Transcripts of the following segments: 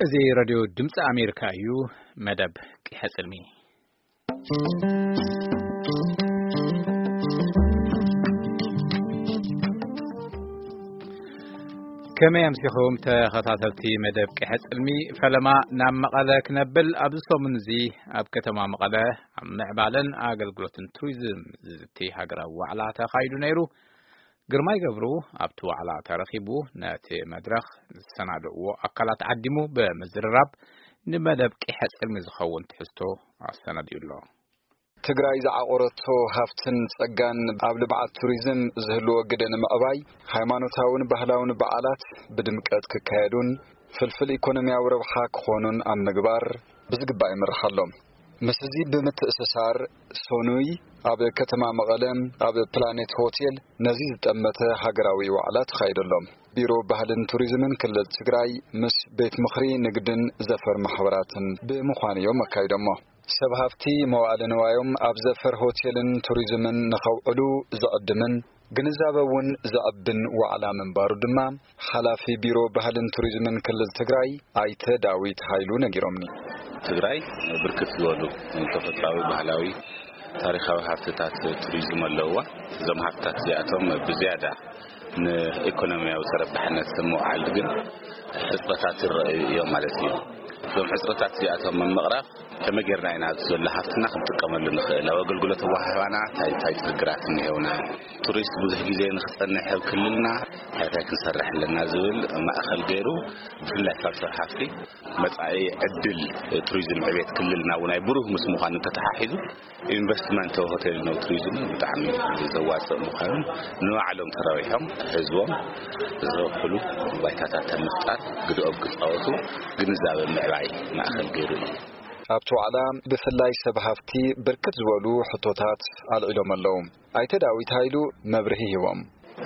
እዚ ሬድዮ ድምፂ ኣሜሪካ እዩ። መደብ ቂሐ ፅልሚ። ከመይ ኣምሲኹም ተኸታተልቲ መደብ ቂሐ ፅልሚ? ፈለማ ናብ መቐለ ክነብል፣ ኣብዚ ሰሙን እዚ ኣብ ከተማ መቐለ ኣብ ምዕባለን ኣገልግሎትን ቱሪዝም ዝዝቲ ሃገራዊ ዋዕላ ተኻይዱ ነይሩ። ግርማይ ገብሩ ኣብቲ ዋዕላ ተረኺቡ ነቲ መድረኽ ዝሰናድእዎ ኣካላት ዓዲሙ ብምዝርራብ ንመደብ ቂሐ ጽልሚ ዝኸውን ትሕዝቶ ኣሰናዲኡ ኣሎ። ትግራይ ዝዓቆረቶ ሃፍትን ጸጋን ኣብ ልምዓት ቱሪዝም ዝህልዎ ግደ ንምዕባይ፣ ሃይማኖታውን ባህላውን በዓላት ብድምቀት ክካየዱን ፍልፍል ኢኮኖሚያዊ ረብሓ ክኾኑን ኣብ ምግባር ብዝግባእ ይምራሕ ኣሎ። ምስዚ ብምትእስሳር፣ ሶኑይ ኣብ ከተማ መቐለ ኣብ ፕላኔት ሆቴል ነዚ ዝጠመተ ሃገራዊ ዋዕላ ተኻይዱ ኣሎ። ቢሮ ባህልን ቱሪዝምን ክልል ትግራይ ምስ ቤት ምኽሪ ንግድን ዘፈር ማሕበራትን ብምዃን እዮም ኣካይዶሞ። ሰብ ሃፍቲ መዋእለ ንዋዮም ኣብ ዘፈር ሆቴልን ቱሪዝምን ንኸውዕሉ ዝዕድምን ግንዛበ እውን ዘዕብን ዋዕላ ምንባሩ ድማ ሓላፊ ቢሮ ባህልን ቱሪዝምን ክልል ትግራይ ኣይተ ዳዊት ሃይሉ ነጊሮምኒ። ትግራይ ብርክት ዝበሉ ተፈጥሯዊ፣ ባህላዊ፣ ታሪኻዊ ሃፍትታት ቱሪዝም ኣለውዋ። እዞም ሃፍትታት እዚኣቶም ብዝያዳ ንኢኮኖሚያዊ ተረባሕነት ንምውዓል ግን ሕፅረታት ይረኣዩ እዮም ማለት እዩ። እዞም ሕፅረታት እዚኣቶም ንምቕራፍ ከመይ ጌርና ኢና ኣብዚ ዘሎ ሃፍትና ክንጥቀመሉ ንኽእል? ኣብ ኣገልግሎት ኣወሃህባና እንታይ እንታይ ችግራት እኒሄውና? ቱሪስት ብዙሕ ግዜ ንክፀንሕ ኣብ ክልልና እንታይ እንታይ ክንሰርሕ ኣለና ዝብል ማእኸል ገይሩ፣ ብፍላይ ካብ ሰብ ሃፍቲ መጻኢ ዕድል ቱሪዝም ዕቤት ክልልና እውን ኣይ ብሩህ ምስ ምዃኑ ተተሓሒዙ፣ ኢንቨስትመንት ሆቴል ነው ቱሪዝም ብጣዕሚ ዘዋፅእ ምዃኑን፣ ንባዕሎም ተረቢሖም ህዝቦም ዝረብሕሉ ባይታታት ምፍጣር ግድኦም ክፃወቱ ግንዛበ ምዕባይ ማእኸል ገይሩ እዩ። ኣብቲ ዋዕላ ብፍላይ ሰብ ሃፍቲ ብርክት ዝበሉ ሕቶታት ኣልዒሎም ኣለዉ። ኣይተ ዳዊት ሃይሉ መብርሂ ሂቦም።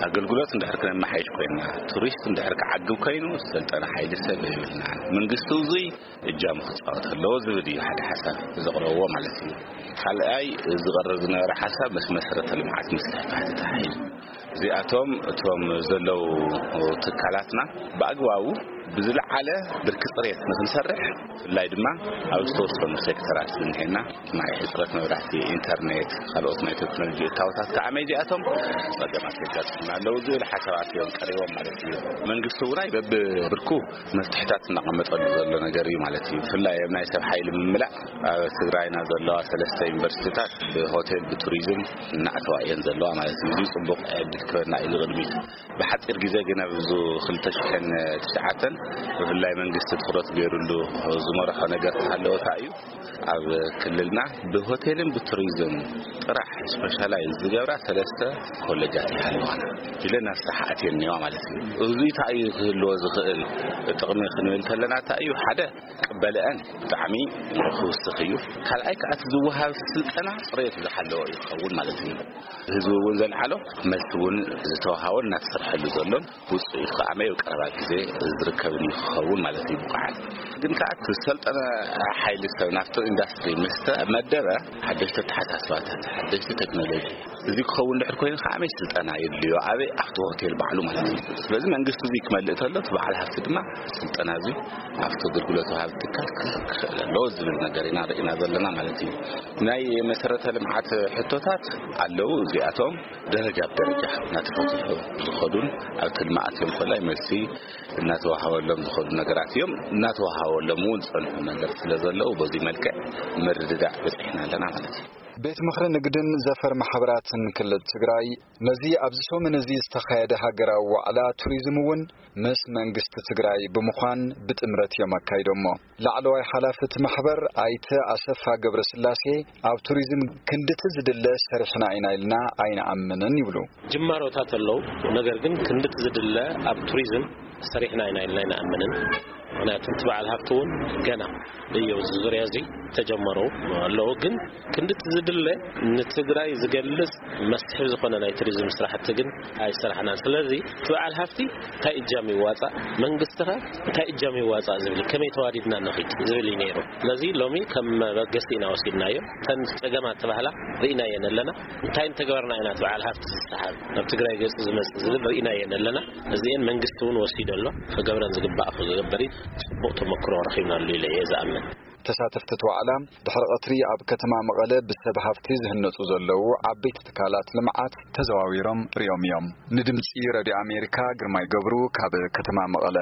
ኣገልግሎት እንድሕር ክነመሓይሽ ኮይና፣ ቱሪስት እንድሕር ክዓግብ ኮይኑ፣ ዝሰልጠነ ሓይሊ ሰብ የብልናን። መንግስቲ እዙይ እጃሙ ክፃወት ኣለዎ ዝብል እዩ ሓደ ሓሳብ ዘቕረብዎ ማለት እዩ። ካልኣይ ዝቐርብ ዝነበረ ሓሳብ ምስ መሰረተ ልምዓት ምስፍሕፋሕ ተተሓሒዙ፣ እዚኣቶም እቶም ዘለዉ ትካላትና ብኣግባቡ ብዝለዓለ ብርኪ ፅሬት ንክንሰርሕ፣ ብፍላይ ድማ ኣብ ዝተወሰኑ ሴክተራት ዝንሄና ማይ፣ ሕፅረት መብራህቲ፣ ኢንተርኔት፣ ካልኦት ናይ ቴክኖሎጂ እታወታት ከዓ መይዚኣቶም ፀገማት የጋጥሙና ኣለዉ ዝብል ሓሳባት እዮም ቀሪቦም ማለት እዩ። መንግስቲ እውን በብብርኩ መፍትሕታት እናቐመጠሉ ዘሎ ነገር እዩ ማለት እዩ። ብፍላይ ኣብ ናይ ሰብ ሓይሊ ምምላእ፣ ኣብ ትግራይና ዘለዋ ሰለስተ ዩኒቨርሲቲታት ብሆቴል ብቱሪዝም እናእተዋ እየን ዘለዋ ማለት እዩ። እዚ ፅቡቕ ዕድል ክበና እዩ ንቕድሚት። ብሓፂር ግዜ ግን ኣብዚ ክልተ ሽሕን ትሽዓተን ብፍላይ መንግስቲ ትኹረት ገይሩሉ ዝመርሖ ነገር ተሃለወ እንታይ እዩ? ኣብ ክልልና ብሆቴልን ብቱሪዝም ጥራሕ ስፔሻላይዝ ዝገብራ ሰለስተ ኮሌጃት ይሃለዋና ኢለን ኣብ ስራሕ ኣትየን እኒዋ ማለት እዩ። እዚ እንታይ እዩ ክህልዎ ዝኽእል ጥቕሚ ክንብል ከለና እንታይ እዩ? ሓደ ቅበልአን ብጣዕሚ ክውስኽ እዩ። ካልኣይ ከዓ እቲ ዝወሃብ ስልጠና ፅሬቱ ዝሓለወ እዩ ክኸውን ማለት እዩ። ህዝቢ እውን ዘልዓሎ መልሲ እውን ዝተዋሃቦን እናተሰርሐሉ ዘሎን ውፅኢት ከዓ መየው ቀረባ ግዜ ዝርከብን እዩ ክኸውን ማለት እዩ። ብቑዓት ግን ከዓ እቲ ዝሰልጠነ ሓይሊ ሰብ ናብቲ ኢንዳስትሪ ምስ ተመደበ ሓደሽቲ ኣተሓሳስባታት፣ ሓደሽቲ ቴክኖሎጂ፣ እዚ ክኸውን ድሕር ኮይኑ ከዓ ኣበይ ስልጠና የድልዮ፣ ኣበይ ኣብቲ ሆቴል ባዕሉ ማለት እዩ። ስለዚ መንግስቲ እዚ ክመልእ ተሎ፣ እቲ በዓል ሃፍቲ ድማ ስልጠና እዚ ኣብቲ ኣገልግሎት ወሃቢ ትካል ክረክብ ክኽእል ኣለዎ ዝብል ነገር ኢና ርኢና ዘለና ማለት እዩ። ናይ መሰረተ ልምዓት ሕቶታት ኣለዉ። እዚኣቶም ደረጃ ብደረጃ እናተፈትሑ ዝኸዱን ኣብቲ ልምዓት እዮም ኮላይ መልሲ እናተዋሃበሎም ዝኸዱ ነገራት እዮም። እናተዋሃበሎም እውን ዝጸንሑ ነገር ስለ ዘለዉ በዚ መልክዕ ምርድዳእ በጺሕና ኣለና ማለት እዩ። ቤት ምኽሪ ንግድን ዘፈር ማሕበራትን ክልል ትግራይ ነዚ ኣብዚ ሰሙን እዚ ዝተኻየደ ሃገራዊ ዋዕላ ቱሪዝም እውን ምስ መንግስቲ ትግራይ ብምዃን ብጥምረት እዮም ኣካይዶሞ። ላዕለዋይ ሓላፊ እቲ ማሕበር ኣይተ ኣሰፋ ገብረስላሴ ኣብ ቱሪዝም ክንድቲ ዝድለ ሰሪሕና ኢና ኢልና ኣይንኣምንን ይብሉ። ጅማሮታት ኣለዉ፣ ነገር ግን ክንድቲ ዝድለ ኣብ ቱሪዝም ሰሪሕና ኢና ኢልና ኣይንኣምንን። ምኽንያቱ እቲ በዓል ሃፍቲ እውን ገና እዩ ኣብዚ ዙርያ እዚ ተጀመሩ ኣለዉ። ግን ክንድቲ ዝድለ ንትግራይ ዝገልጽ መስሕብ ዝኾነ ናይ ቱሪዝም ስራሕቲ ግን ኣይሰራሕናን። ስለዚ እቲ በዓል ሃፍቲ እንታይ እጃም ይዋጻእ፣ መንግስቲ ኸ እንታይ እጃም ይዋጻእ ዝብል፣ ከመይ ተዋዲድና ንኺድ ዝብል እዩ ነይሩ። ስለዚ ሎሚ ከም መበገሲ ኢና ወሲድናዮ። እተን ጸገማት ተባህላ ርኢናየን ኣለና። እንታይ እንተገበርና ኢና እቲ በዓል ሃፍቲ ዝሰሓብ፣ ናብ ትግራይ ገጹ ዝመጽእ ዝብል ርኢናየን ኣለና። እዚኤን መንግስቲ እውን ወሲዱ ኣሎ። ክገብረን ዝግባእ ክገብር እዩ። ጽቡቕ ተመክሮ ረኺብናሉ ኢለ እየ ዝኣምን። ተሳተፍቲ እቲ ዋዕላ ድሕሪ ቀትሪ ኣብ ከተማ መቐለ ብሰብ ሃፍቲ ዝህነፁ ዘለዉ ዓበይቲ ትካላት ልምዓት ተዘዋዊሮም ሪኦም እዮም። ንድምፂ ረድዮ ኣሜሪካ ግርማይ ገብሩ ካብ ከተማ መቐለ።